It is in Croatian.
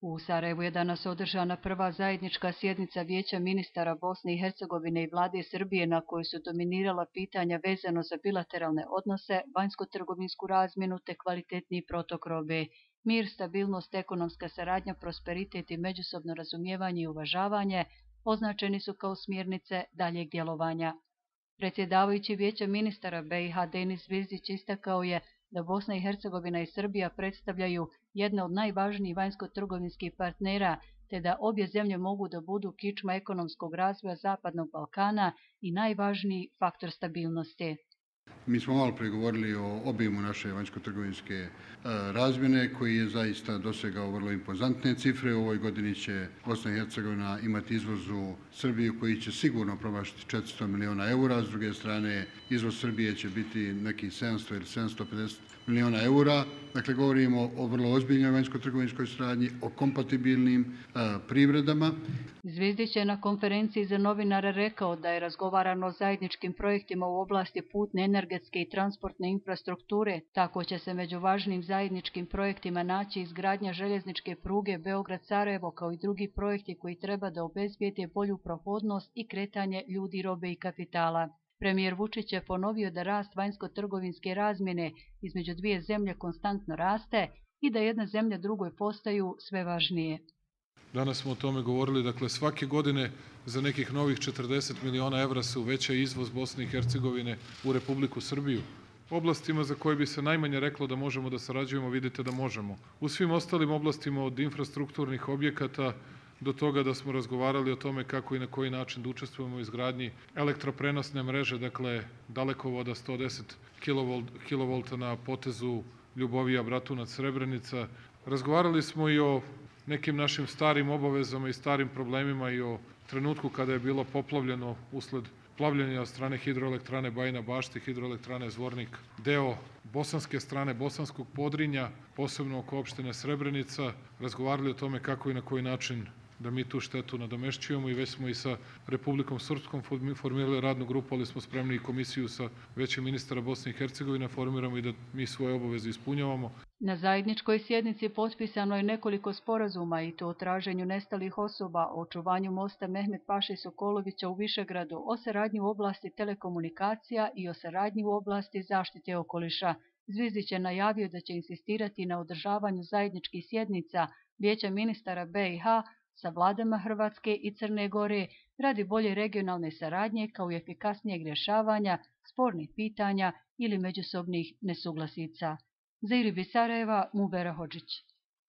U Sarajevu je danas održana prva zajednička sjednica Vijeća ministara Bosne i Hercegovine i vlade Srbije na kojoj su dominirala pitanja vezano za bilateralne odnose, vanjsko-trgovinsku razmjenu te kvalitetniji protok robe. Mir, stabilnost, ekonomska saradnja, prosperitet i međusobno razumijevanje i uvažavanje označeni su kao smjernice daljeg djelovanja. Predsjedavajući Vijeća ministara BiH Denis Zvizdić istakao je da Bosna i Hercegovina i Srbija predstavljaju jedne od najvažnijih vanjsko-trgovinskih partnera, te da obje zemlje mogu da budu kičma ekonomskog razvoja Zapadnog Balkana i najvažniji faktor stabilnosti. Mi smo malo pregovorili o obimu naše vanjsko-trgovinske razmjene koji je zaista dosegao vrlo impozantne cifre. U ovoj godini će Bosna i Hercegovina imati izvoz u Srbiju koji će sigurno promašiti 400 miliona eura. S druge strane, izvoz Srbije će biti nekih 700 ili 750 miliona eura. Dakle, govorimo o vrlo ozbiljnoj vanjsko-trgovinskoj suradnji, o kompatibilnim privredama. Zvizdić je na konferenciji za novinare rekao da je razgovarano o zajedničkim projektima u oblasti putne, energetske i transportne infrastrukture. Tako će se među važnim zajedničkim projektima naći izgradnja željezničke pruge Beograd-Sarajevo kao i drugi projekti koji treba da obezbijede bolju prohodnost i kretanje ljudi, robe i kapitala. Premijer Vučić je ponovio da rast vanjsko-trgovinske razmjene između dvije zemlje konstantno raste i da jedna zemlja drugoj postaju sve važnije. Danas smo o tome govorili, dakle svake godine za nekih novih 40 miliona evra se uveća izvoz Bosne i Hercegovine u Republiku Srbiju. Oblastima za koje bi se najmanje reklo da možemo da sarađujemo, vidite da možemo. U svim ostalim oblastima od infrastrukturnih objekata do toga da smo razgovarali o tome kako i na koji način da učestvujemo u izgradnji elektroprenosne mreže, dakle dalekovoda 110 kV na potezu Ljubovija, Bratunac, Srebrenica. Razgovarali smo i o nekim našim starim obavezama i starim problemima i o trenutku kada je bilo poplavljeno usled plavljenja od strane hidroelektrane Bajina Bašta, hidroelektrane Zvornik, deo bosanske strane, bosanskog Podrinja, posebno oko opštine Srebrenica. Razgovarali o tome kako i na koji način da mi tu štetu nadomešćujemo i već smo i sa Republikom Srpskom formirali radnu grupu, ali smo spremni i komisiju sa Većem ministara Bosne i Hercegovine formiramo i da mi svoje obaveze ispunjavamo. Na zajedničkoj sjednici potpisano je nekoliko sporazuma i to o traženju nestalih osoba, o očuvanju mosta Mehmet Paše Sokolovića u Višegradu, o saradnji u oblasti telekomunikacija i o saradnji u oblasti zaštite okoliša. Zvizdić je najavio da će insistirati na održavanju zajedničkih sjednica Vijeća ministara BiH sa vladama Hrvatske i Crne Gore radi bolje regionalne saradnje kao i efikasnijeg rješavanja spornih pitanja ili međusobnih nesuglasica. Za IRIB iz Sarajeva, Mubera Hodžić.